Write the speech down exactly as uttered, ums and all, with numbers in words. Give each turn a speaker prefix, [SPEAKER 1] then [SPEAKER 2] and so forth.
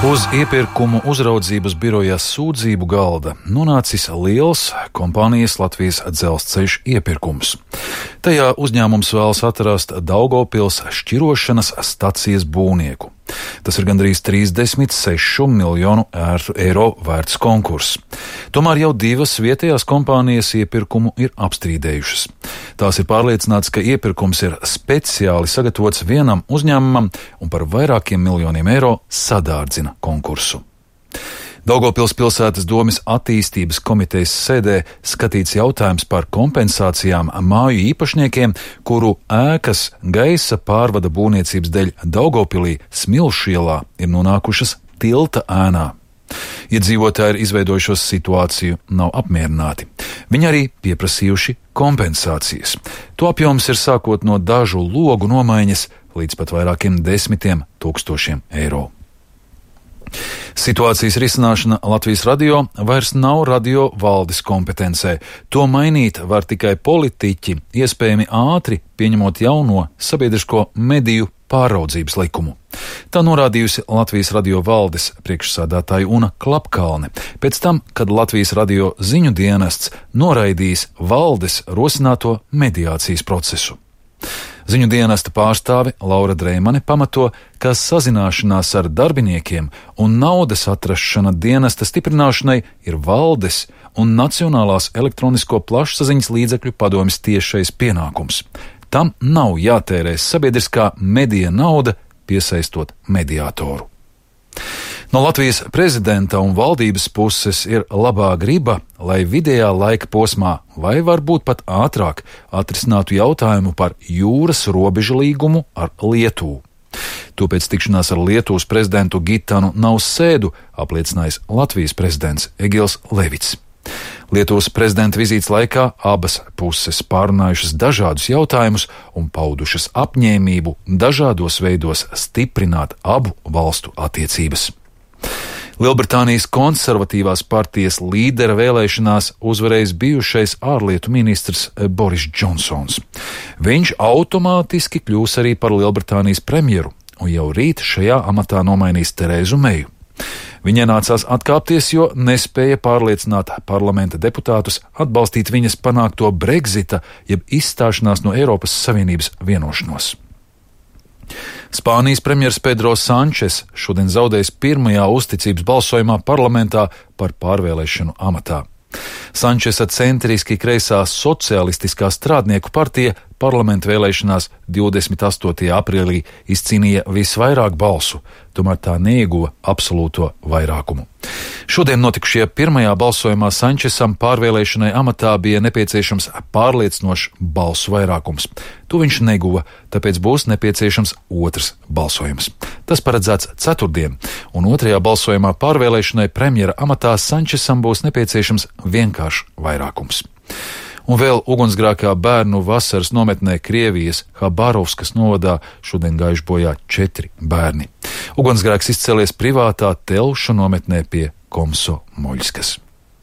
[SPEAKER 1] Uz iepirkumu uzraudzības biroja sūdzību galda nonācis liels kompānijas Latvijas Dzelzceļš iepirkums. Tajā uzņēmums vēlas atrast Daugavpils šķirošanas stacijas būvnieku. Tas ir gandrīz trīsdesmit sešu miljonu eiro vērts konkurss. Tomēr jau divas vietējās kompānijas iepirkumu ir apstrīdējušas. Tās ir pārliecināts, ka iepirkums ir speciāli sagatavots vienam uzņēmumam un par vairākiem miljoniem eiro sadārdzina konkursu. Daugavpils pilsētas domes attīstības komitejas sēdē skatīts jautājums par kompensācijām māju īpašniekiem, kuru ēkas gaisa pārvada būvniecības dēļ Daugavpilī Smilšu ielā ir nonākušas tilta ēnā. Iedzīvotāji ir izveidojušos situāciju, nav apmierināti. Viņi arī pieprasījuši kompensācijas. To apjoms ir sākot no dažu logu nomaiņas līdz pat vairākiem desmitiem tūkstošiem eiro. Situācijas risināšana Latvijas radio vairs nav radio valdes kompetencē. To mainīt var tikai politiķi, iespējami ātri pieņemot jauno sabiedrisko mediju pāraudzības likumu. Tā norādījusi Latvijas radio valdes priekšsādātāja Una Klapkalne, pēc tam, kad Latvijas radio ziņu dienests noraidījis valdes rosināto mediācijas procesu. Ziņu dienesta pārstāve Laura Dreimane pamato, ka sazināšanās ar darbiniekiem un naudas atrašana dienesta stiprināšanai ir valdes un Nacionālās elektronisko plašsaziņas līdzekļu padomjas tiešais pienākums. Tam nav jātērē sabiedriskā medija nauda, piesaistot mediātoru. No Latvijas prezidenta un valdības puses ir labā griba, lai vidējā laika posmā vai varbūt pat ātrāk atrisinātu jautājumu par jūras robežu līgumu ar Lietuvu. To pēc tikšanās ar Lietuvas prezidentu Gitanu Nausēdu apliecinājis Latvijas prezidents Egils Levits. Lietuvas prezidenta vizītes laikā abas puses pārunājušas dažādus jautājumus un paudušas apņēmību dažādos veidos stiprināt abu valstu attiecības. Lielbritānijas konservatīvās partijas līdera vēlēšanās uzvarējis bijušais ārlietu ministrs Boris Džonsons. Viņš automātiski kļūs arī par Lielbritānijas premjeru un jau rīt šajā amatā nomainīs Terēzu Meju. Viņai nācās atkāpties, jo nespēja pārliecināt parlamenta deputātus atbalstīt viņas panākto Brexita, jeb izstāšanās no Eiropas Savienības vienošanos. Spānijas premjers Pedro Sančes šodien zaudējis pirmajā uzticības balsojumā parlamentā par pārvēlēšanu amatā. Sančesa centriski kreisā socialistiskā strādnieku partija parlamenta vēlēšanās divdesmit astotajā aprīlī izcīnīja visvairāk balsu, tomēr tā neieguva absolūto vairākumu. Šodien notikušajā pirmajā balsojumā Sančesam pārvēlēšanai amatā bija nepieciešams pārliecinošs balsu vairākums. To viņš neguva, tāpēc būs nepieciešams otrs balsojums. Tas paredzēts ceturtdien, un otrajā balsojumā pārvēlēšanai premjera amatā Sančesam būs nepieciešams vienkāršs vairākums. Un vēl ugunsgrēkā bērnu vasaras nometnē Krievijas Habarovskas novadā šodien gājuši bojā četri bērni. Ugunsgrēks izcēlies privātā telšu nometnē pie Komsomoļskas.